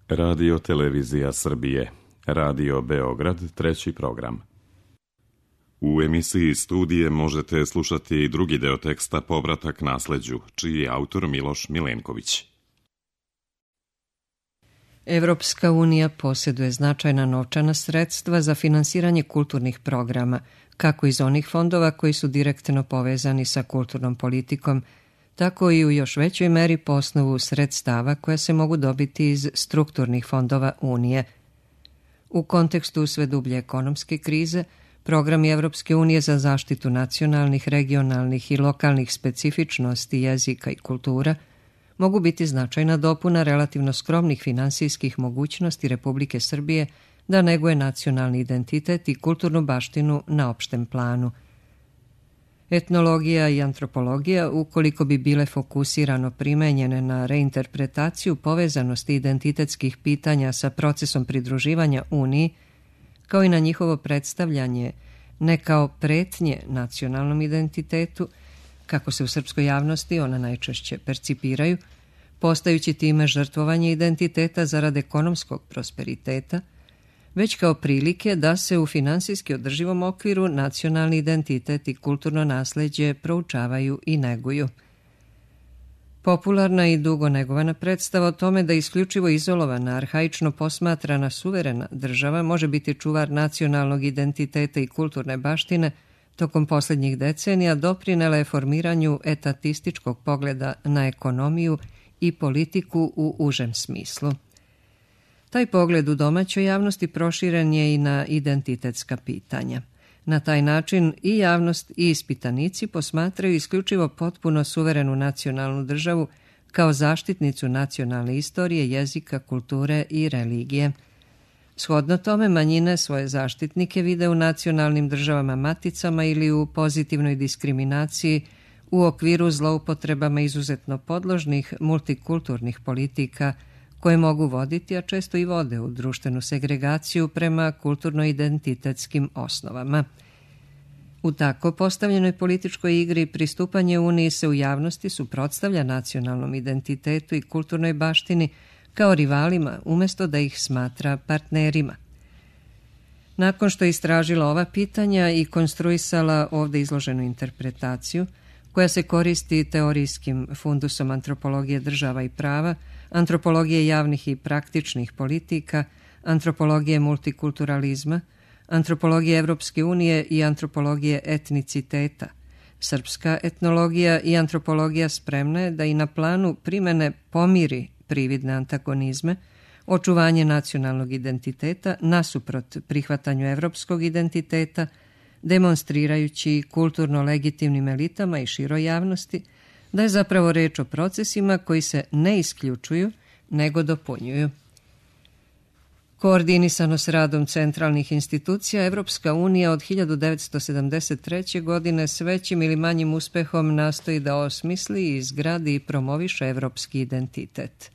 Radio Televizija Srbije, Radio Beograd, treći program. U emisiji Studije možete slušati i drugi deo teksta Povratak nasleđu, čiji je autor Miloš Milenković. Evropska unija posjeduje značajna novčana sredstva za finansiranje kulturnih programa, kako iz onih fondova koji su direktno povezani sa kulturnom politikom, tako i u još većoj meri po osnovu sredstava koja se mogu dobiti iz strukturnih fondova Unije. U kontekstu sve dublje ekonomske krize, programi Evropske unije za zaštitu nacionalnih, regionalnih i lokalnih specifičnosti jezika i kultura mogu biti značajna dopuna relativno skromnih finansijskih mogućnosti Republike Srbije da neguje nacionalni identitet i kulturnu baštinu na opštem planu. Etnologija i antropologija, ukoliko bi bile fokusirano primenjene na reinterpretaciju povezanosti identitetskih pitanja sa procesom pridruživanja Uniji, kao i na njihovo predstavljanje ne kao pretnje nacionalnom identitetu, kako se u srpskoj javnosti ona najčešće percipiraju, postajući time žrtvovanje identiteta zarad ekonomskog prosperiteta, već kao prilike da se u finansijski održivom okviru nacionalni identitet i kulturno nasleđe proučavaju i neguju. Popularna i dugo negovana predstava o tome da isključivo izolovana, arhaično posmatrana suverena država može biti čuvar nacionalnog identiteta i kulturne baštine, tokom posljednjih decenija doprinela je formiranju etatističkog pogleda na ekonomiju i politiku u užem smislu. Taj pogled u domaćoj javnosti proširen je i na identitetska pitanja. Na taj način i javnost i ispitanici posmatraju isključivo potpuno suverenu nacionalnu državu kao zaštitnicu nacionalne istorije, jezika, kulture i religije. Shodno tome, manjine svoje zaštitnike vide u nacionalnim državama maticama ili u pozitivnoj diskriminaciji u okviru zloupotrebama izuzetno podložnih multikulturnih politika koje mogu voditi, a često i vode u društvenu segregaciju prema kulturno-identitetskim osnovama. U tako postavljenoj političkoj igri pristupanje Uniji se u javnosti suprotstavlja nacionalnom identitetu i kulturnoj baštini kao rivalima, umjesto da ih smatra partnerima. Nakon što je istražila ova pitanja i konstruisala ovdje izloženu interpretaciju, koja se koristi teorijskim fundusom antropologije država i prava, antropologije javnih i praktičnih politika, antropologije multikulturalizma, antropologije Evropske unije i antropologije etniciteta. Srpska etnologija i antropologija spremna je da i na planu primene pomiri prividne antagonizme, očuvanje nacionalnog identiteta nasuprot prihvatanju evropskog identiteta, demonstrirajući kulturno legitimnim elitama i široj javnosti da je zapravo reč o procesima koji se ne isključuju, nego dopunjuju. Koordinisano s radom centralnih institucija, Evropska unija od 1973. godine s većim ili manjim uspehom nastoji da osmisli, izgradi i promoviše evropski identitet.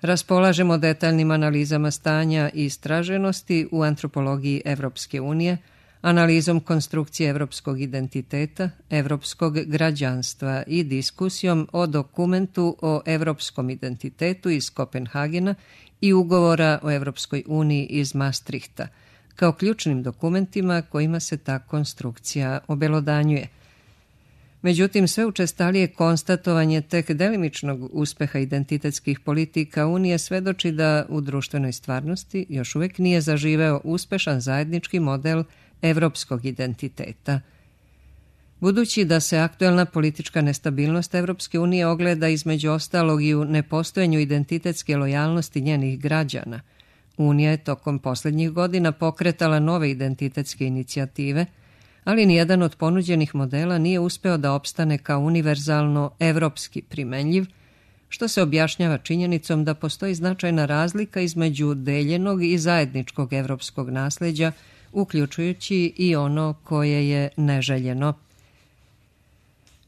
Raspolažemo detaljnim analizama stanja i istraženosti u antropologiji Evropske unije, analizom konstrukcije evropskog identiteta, evropskog građanstva i diskusijom o dokumentu o evropskom identitetu iz Kopenhagena i ugovora o Evropskoj uniji iz Maastrichta, kao ključnim dokumentima kojima se ta konstrukcija obelodanjuje. Međutim, sve učestalije konstatovanje tek delimičnog uspeha identitetskih politika Unije svedoči da u društvenoj stvarnosti još uvijek nije zaživeo uspešan zajednički model evropskog identiteta. Budući da se aktuelna politička nestabilnost Evropske unije ogleda između ostalog i u nepostojanju identitetske lojalnosti njenih građana, Unija je tokom posljednjih godina pokretala nove identitetske inicijative, ali nijedan od ponuđenih modela nije uspeo da opstane kao univerzalno evropski primenljiv, što se objašnjava činjenicom da postoji značajna razlika između deljenog i zajedničkog evropskog nasleđa, uključujući i ono koje je neželjeno.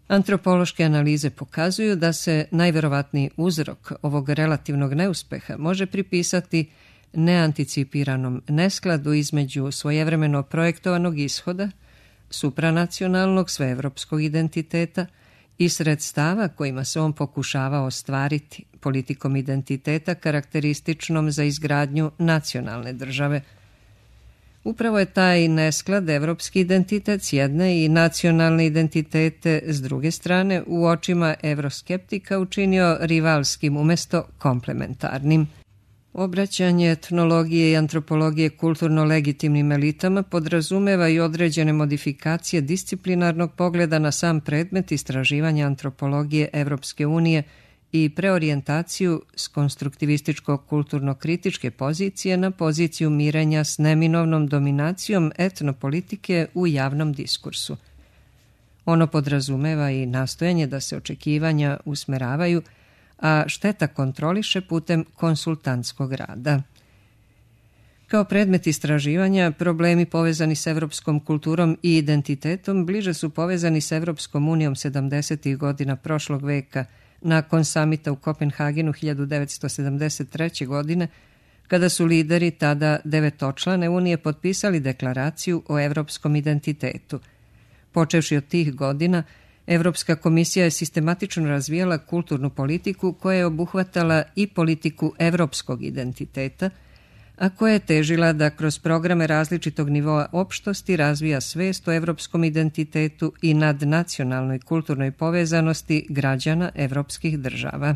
Antropološke analize pokazuju da se najverovatniji uzrok ovog relativnog neuspeha može pripisati neanticipiranom neskladu između svojevremeno projektovanog ishoda, supranacionalnog sveevropskog identiteta i sredstava kojima se on pokušava ostvariti politikom identiteta karakterističnom za izgradnju nacionalne države. Upravo je taj nesklad evropski identitet s jedne i nacionalne identitete s druge strane u očima evroskeptika učinio rivalskim umjesto komplementarnim. Obraćanje etnologije i antropologije kulturno legitimnim elitama podrazumeva i određene modifikacije disciplinarnog pogleda na sam predmet istraživanja antropologije Evropske unije i preorijentaciju s konstruktivističko-kulturno-kritičke pozicije na poziciju mirenja s neminovnom dominacijom etnopolitike u javnom diskursu. Ono podrazumeva i nastojanje da se očekivanja usmeravaju, a šteta kontroliše putem konsultantskog rada. Kao predmet istraživanja, problemi povezani s evropskom kulturom i identitetom bliže su povezani s Evropskom unijom 70. godina prošlog veka, nakon samita u Kopenhagenu 1973. godine, kada su lideri tada 9-člane Unije potpisali deklaraciju o evropskom identitetu. Počevši od tih godina, Evropska komisija je sistematično razvijala kulturnu politiku koja je obuhvatala i politiku evropskog identiteta, a koja je težila da kroz programe različitog nivoa opštosti razvija svest o evropskom identitetu i nadnacionalnoj kulturnoj povezanosti građana evropskih država.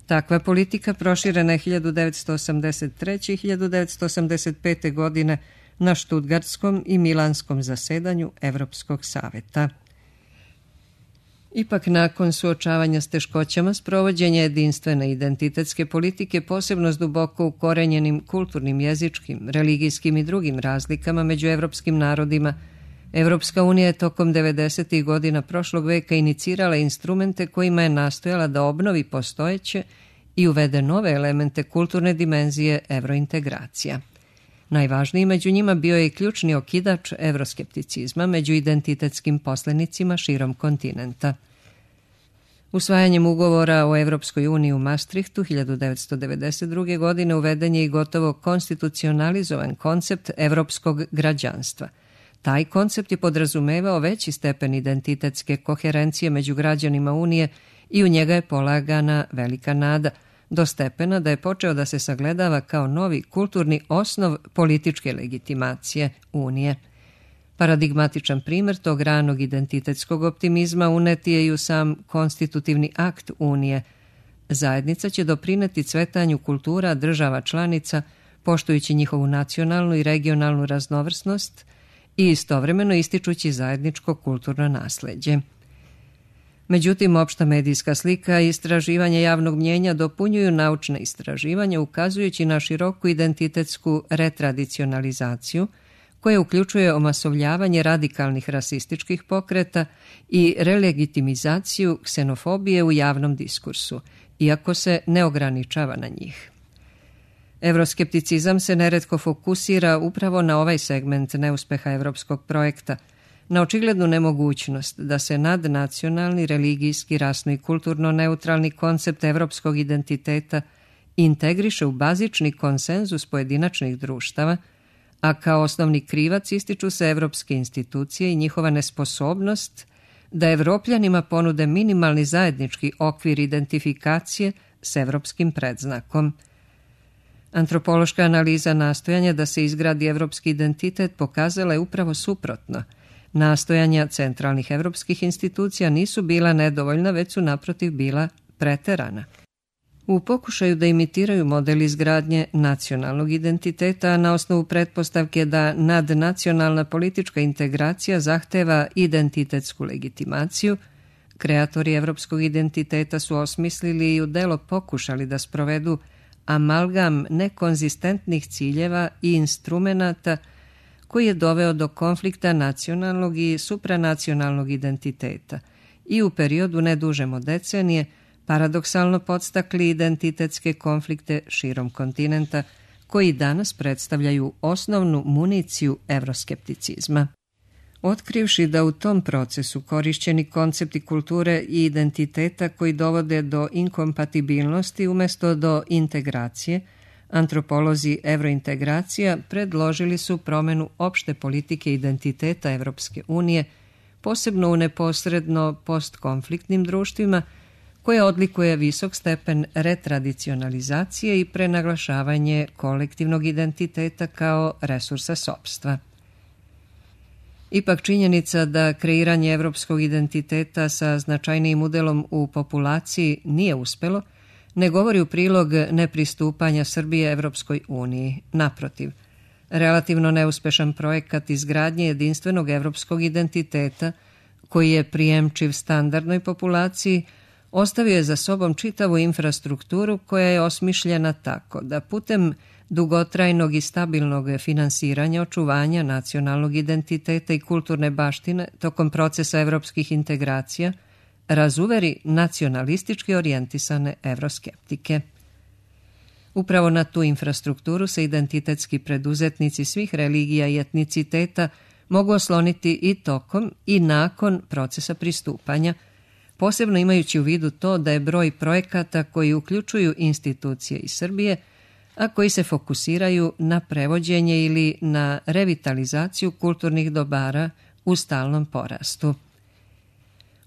Takva politika proširena je 1983. i 1985. godine na Štutgartskom i Milanskom zasedanju Evropskog saveta. Ipak, nakon suočavanja s teškoćama, sprovođenje jedinstvene identitetske politike, posebno s duboko ukorenjenim kulturnim, jezičkim, religijskim i drugim razlikama među evropskim narodima, Evropska unija je tokom 90. godina prošlog veka inicirala instrumente kojima je nastojala da obnovi postojeće i uvede nove elemente kulturne dimenzije evrointegracija. Najvažniji među njima bio je i ključni okidač evroskepticizma među identitetskim poslenicima širom kontinenta. Usvajanjem ugovora o Evropskoj uniji u Maastrichtu 1992. godine uveden je i gotovo konstitucionalizovan koncept evropskog građanstva. Taj koncept je podrazumevao veći stepen identitetske koherencije među građanima Unije i u njega je polagana velika nada, do stepena da je počeo da se sagledava kao novi kulturni osnov političke legitimacije Unije. Paradigmatičan primjer tog ranog identitetskog optimizma unet je i u sam konstitutivni akt Unije. Zajednica će doprineti cvetanju kultura država članica, poštujući njihovu nacionalnu i regionalnu raznovrsnost i istovremeno ističući zajedničko kulturno nasleđe. Međutim, opšta medijska slika i istraživanje javnog mnjenja dopunjuju naučne istraživanja, ukazujući na široku identitetsku retradicionalizaciju, koja uključuje omasovljavanje radikalnih rasističkih pokreta i relegitimizaciju ksenofobije u javnom diskursu, iako se ne ograničava na njih. Evroskepticizam se neretko fokusira upravo na ovaj segment neuspeha evropskog projekta, na očiglednu nemogućnost da se nadnacionalni, religijski, rasno i kulturno neutralni koncept evropskog identiteta integriše u bazični konsenzus pojedinačnih društava, a kao osnovni krivac ističu se evropske institucije i njihova nesposobnost da Evropljanima ponude minimalni zajednički okvir identifikacije s evropskim predznakom. Antropološka analiza nastojanja da se izgradi evropski identitet pokazala je upravo suprotno. Nastojanja centralnih evropskih institucija nisu bila nedovoljna, već su naprotiv bila preterana. U pokušaju da imitiraju model izgradnje nacionalnog identiteta na osnovu pretpostavke da nadnacionalna politička integracija zahteva identitetsku legitimaciju, kreatori evropskog identiteta su osmislili i u delo pokušali da sprovedu amalgam nekonzistentnih ciljeva i instrumenata koji je doveo do konflikta nacionalnog i supranacionalnog identiteta i u periodu nedužem od decenije paradoksalno podstakli identitetske konflikte širom kontinenta koji danas predstavljaju osnovnu municiju evroskepticizma. Otkrivši da u tom procesu korišćeni koncepti kulture i identiteta koji dovode do inkompatibilnosti umjesto do integracije, antropolozi evrointegracija predložili su promenu opšte politike identiteta Evropske unije posebno u neposredno postkonfliktnim društvima, koje odlikuje visok stepen retradicionalizacije i prenaglašavanje kolektivnog identiteta kao resursa sopstva. Ipak činjenica da kreiranje evropskog identiteta sa značajnijim udelom u populaciji nije uspelo, ne govori u prilog nepristupanja Srbije Evropskoj uniji. Naprotiv, relativno neuspešan projekat izgradnje jedinstvenog evropskog identiteta, koji je prijemčiv standardnoj populaciji, ostavio je za sobom čitavu infrastrukturu koja je osmišljena tako da putem dugotrajnog i stabilnog finansiranja očuvanja nacionalnog identiteta i kulturne baštine tokom procesa evropskih integracija razuveri nacionalistički orijentisane evroskeptike. Upravo na tu infrastrukturu se identitetski preduzetnici svih religija i etniciteta mogu osloniti i tokom i nakon procesa pristupanja, posebno imajući u vidu to da je broj projekata koji uključuju institucije iz Srbije, a koji se fokusiraju na prevođenje ili na revitalizaciju kulturnih dobara u stalnom porastu.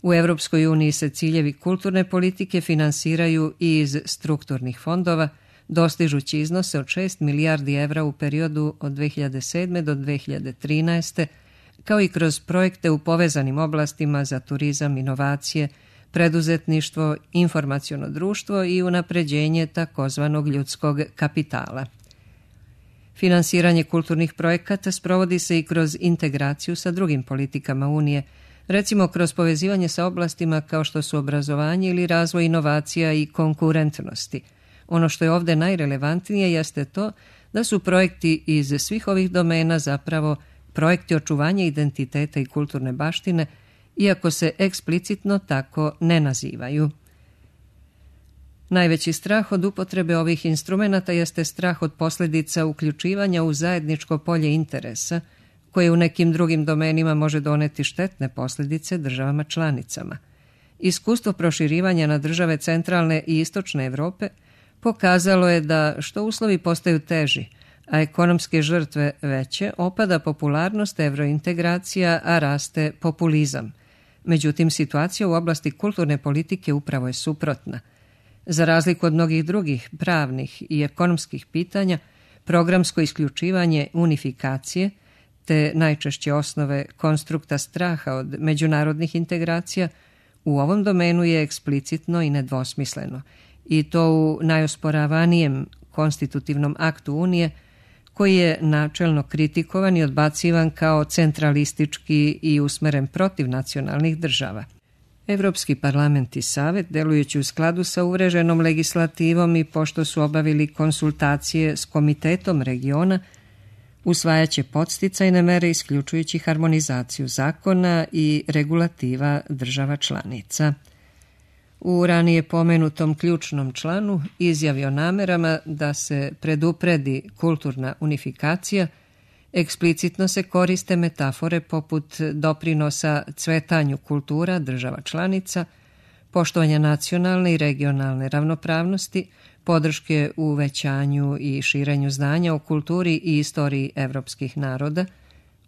U Evropskoj uniji se ciljevi kulturne politike finansiraju i iz strukturnih fondova, dostižući iznose od 6 milijardi evra u periodu od 2007. do 2013. kao i kroz projekte u povezanim oblastima za turizam, inovacije, preduzetništvo, informaciono društvo i unapređenje takozvanog ljudskog kapitala. Finansiranje kulturnih projekata sprovodi se i kroz integraciju sa drugim politikama Unije, recimo kroz povezivanje sa oblastima kao što su obrazovanje ili razvoj inovacija i konkurentnosti. Ono što je ovdje najrelevantnije jeste to da su projekti iz svih ovih domena zapravo projekti očuvanja identiteta i kulturne baštine, iako se eksplicitno tako ne nazivaju. Najveći strah od upotrebe ovih instrumenata jeste strah od posljedica uključivanja u zajedničko polje interesa, koje u nekim drugim domenima može doneti štetne posljedice državama članicama. Iskustvo proširivanja na države centralne i istočne Evrope pokazalo je da što uslovi postaju teži, a ekonomske žrtve veće, opada popularnost evrointegracija, a raste populizam. Međutim, situacija u oblasti kulturne politike upravo je suprotna. Za razliku od mnogih drugih pravnih i ekonomskih pitanja, programsko isključivanje unifikacije, te najčešće osnove konstrukta straha od međunarodnih integracija, u ovom domenu je eksplicitno i nedvosmisleno, i to u najosporavanijem konstitutivnom aktu Unije, koji je načelno kritikovan i odbacivan kao centralistički i usmeren protiv nacionalnih država. Evropski parlament i Savet, delujući u skladu sa uvreženom legislativom i pošto su obavili konsultacije s Komitetom regiona, usvajaće podsticajne mere isključujući harmonizaciju zakona i regulativa država članica. U ranije pomenutom ključnom članu izjavi o namerama da se predupredi kulturna unifikacija, eksplicitno se koriste metafore poput doprinosa cvetanju kultura država članica, poštovanja nacionalne i regionalne ravnopravnosti, podrške u uvećanju i širenju znanja o kulturi i istoriji evropskih naroda,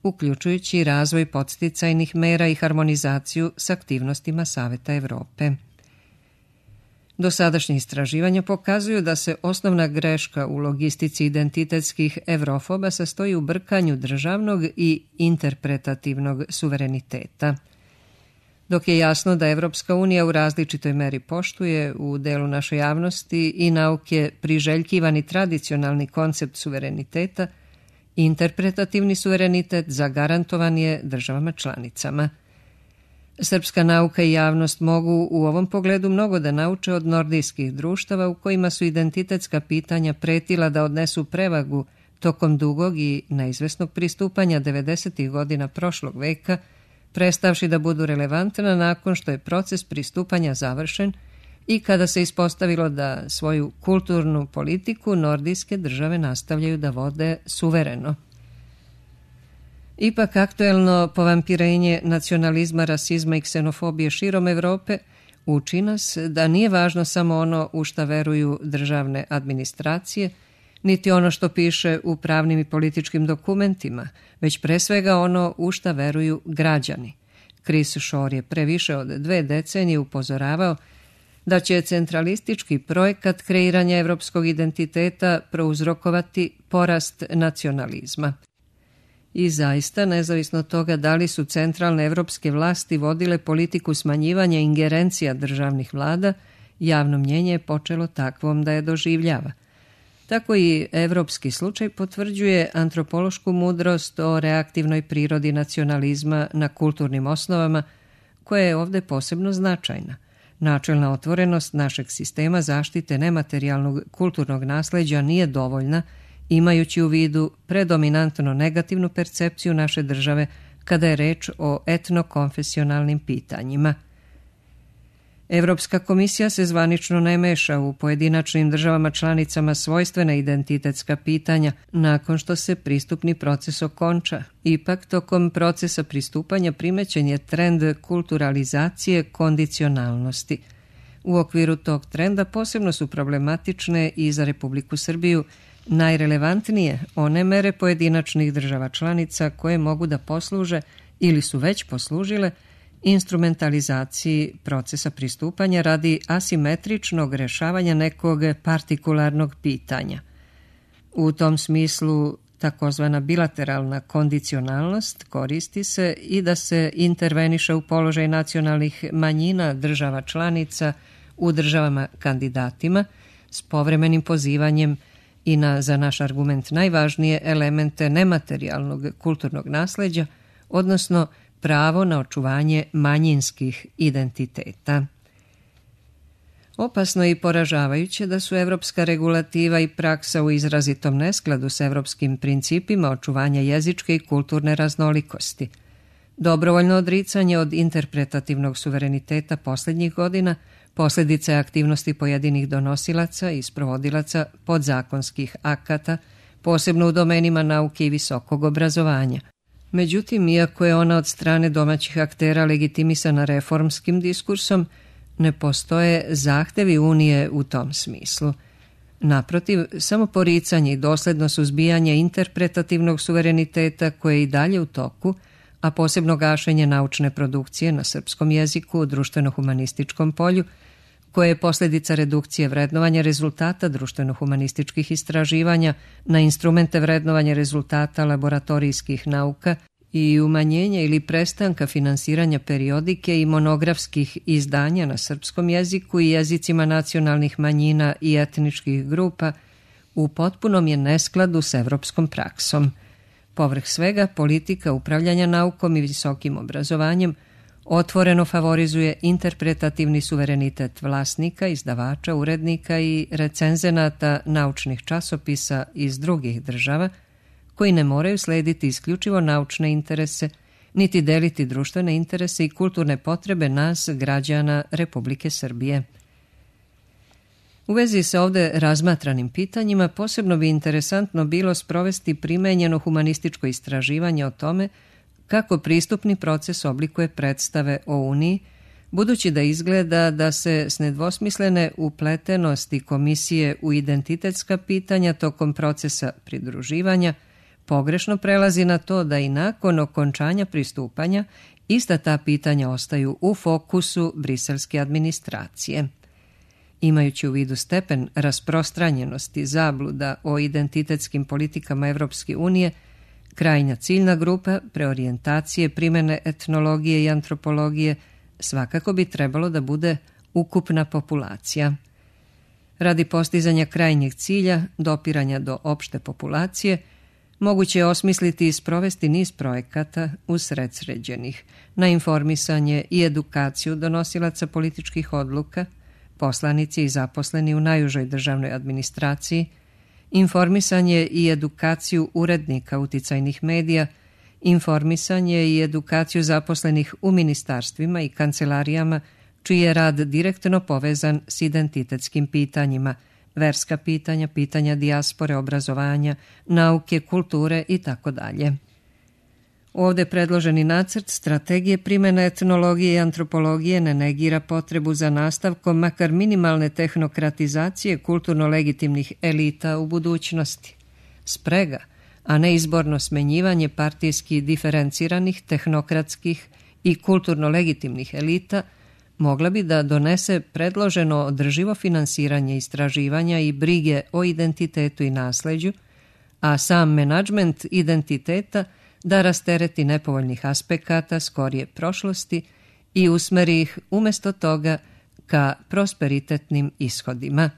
uključujući razvoj podsticajnih mera i harmonizaciju s aktivnostima Saveta Evrope. Dosadašnje istraživanja pokazuju da se osnovna greška u logistici identitetskih evrofoba sastoji u brkanju državnog i interpretativnog suvereniteta. Dok je jasno da Evropska unija u različitoj meri poštuje u delu naše javnosti i nauke priželjkivani tradicionalni koncept suvereniteta, interpretativni suverenitet zagarantovan je državama članicama. Srpska nauka i javnost mogu u ovom pogledu mnogo da nauče od nordijskih društava u kojima su identitetska pitanja pretila da odnesu prevagu tokom dugog i neizvesnog pristupanja 90. godina prošlog veka, prestavši da budu relevantna nakon što je proces pristupanja završen i kada se ispostavilo da svoju kulturnu politiku nordijske države nastavljaju da vode suvereno. Ipak aktuelno povampirenje nacionalizma, rasizma i ksenofobije širom Evrope uči nas da nije važno samo ono u šta veruju državne administracije, niti ono što piše u pravnim i političkim dokumentima, već pre svega ono u šta veruju građani. Chris Shore je pre više od 2 decenije upozoravao da će centralistički projekat kreiranja evropskog identiteta prouzrokovati porast nacionalizma. I zaista, nezavisno od toga da li su centralne evropske vlasti vodile politiku smanjivanja ingerencija državnih vlada, javno mnjenje je počelo takvom da je doživljava. Tako i evropski slučaj potvrđuje antropološku mudrost o reaktivnoj prirodi nacionalizma na kulturnim osnovama, koja je ovde posebno značajna. Načelna otvorenost našeg sistema zaštite nematerijalnog kulturnog nasleđa nije dovoljna, imajući u vidu predominantno negativnu percepciju naše države kada je reč o etnokonfesionalnim pitanjima. Evropska komisija se zvanično ne meša u pojedinačnim državama članicama svojstvena identitetska pitanja nakon što se pristupni proces okonča. Ipak, tokom procesa pristupanja primećen je trend kulturalizacije kondicionalnosti. U okviru tog trenda posebno su problematične i za Republiku Srbiju najrelevantnije one mere pojedinačnih država članica koje mogu da posluže ili su već poslužile instrumentalizaciji procesa pristupanja radi asimetričnog rešavanja nekog partikularnog pitanja. U tom smislu takozvana bilateralna kondicionalnost koristi se i da se interveniše u položaj nacionalnih manjina država članica u državama kandidatima s povremenim pozivanjem i na, za naš argument, najvažnije elemente nematerijalnog kulturnog nasleđa, odnosno pravo na očuvanje manjinskih identiteta. Opasno i poražavajuće da su evropska regulativa i praksa u izrazitom neskladu s evropskim principima očuvanja jezičke i kulturne raznolikosti. Dobrovoljno odricanje od interpretativnog suvereniteta posljednjih godina posljedica je aktivnosti pojedinih donosilaca i sprovodilaca podzakonskih akata, posebno u domenima nauke i visokog obrazovanja. Međutim, iako je ona od strane domaćih aktera legitimisana reformskim diskursom, ne postoje zahtevi Unije u tom smislu. Naprotiv, samo poricanje i dosledno suzbijanje interpretativnog suvereniteta koje je i dalje u toku, a posebno gašenje naučne produkcije na srpskom jeziku u društveno-humanističkom polju, koje je posljedica redukcije vrednovanja rezultata društveno-humanističkih istraživanja na instrumente vrednovanja rezultata laboratorijskih nauka i umanjenja ili prestanka finansiranja periodike i monografskih izdanja na srpskom jeziku i jezicima nacionalnih manjina i etničkih grupa, u potpunom je neskladu s evropskom praksom. Povrh svega, politika upravljanja naukom i visokim obrazovanjem otvoreno favorizuje interpretativni suverenitet vlasnika, izdavača, urednika i recenzenata naučnih časopisa iz drugih država, koji ne moraju slediti isključivo naučne interese, niti deliti društvene interese i kulturne potrebe nas, građana Republike Srbije. U vezi sa ovde razmatranim pitanjima posebno bi interesantno bilo sprovesti primenjeno humanističko istraživanje o tome kako pristupni proces oblikuje predstave o Uniji, budući da izgleda da se s nedvosmislene upletenosti komisije u identitetska pitanja tokom procesa pridruživanja pogrešno prelazi na to da i nakon okončanja pristupanja ista ta pitanja ostaju u fokusu briselske administracije. Imajući u vidu stepen rasprostranjenosti zabluda o identitetskim politikama Evropske unije, krajnja ciljna grupa preorijentacije primene etnologije i antropologije svakako bi trebalo da bude ukupna populacija. Radi postizanja krajnjeg cilja, dopiranja do opšte populacije, moguće je osmisliti i sprovesti niz projekata usredsređenih na informisanje i edukaciju donosilaca političkih odluka, poslanici i zaposleni u najužoj državnoj administraciji, informisanje i edukaciju urednika uticajnih medija, informisanje i edukaciju zaposlenih u ministarstvima i kancelarijama, čiji je rad direktno povezan s identitetskim pitanjima, verska pitanja, pitanja dijaspore, obrazovanja, nauke, kulture itd. Ovde predloženi nacrt strategije primjene etnologije i antropologije ne negira potrebu za nastavkom makar minimalne tehnokratizacije kulturno legitimnih elita u budućnosti. Sprega, a ne izborno smenjivanje partijski diferenciranih, tehnokratskih i kulturno legitimnih elita mogla bi da donese predloženo održivo finansiranje istraživanja i brige o identitetu i nasleđu, a sam menadžment identiteta da rastereti nepovoljnih aspekata skorije prošlosti i usmeri ih umjesto toga ka prosperitetnim ishodima.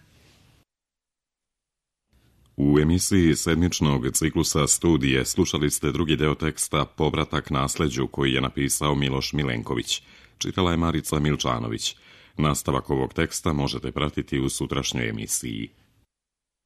U emisiji sedmičnog ciklusa studije slušali ste drugi deo teksta Povratak nasleđu koji je napisao Miloš Milenković. Čitala je Marica Milčanović. Nastavak ovog teksta možete pratiti u sutrašnjoj emisiji.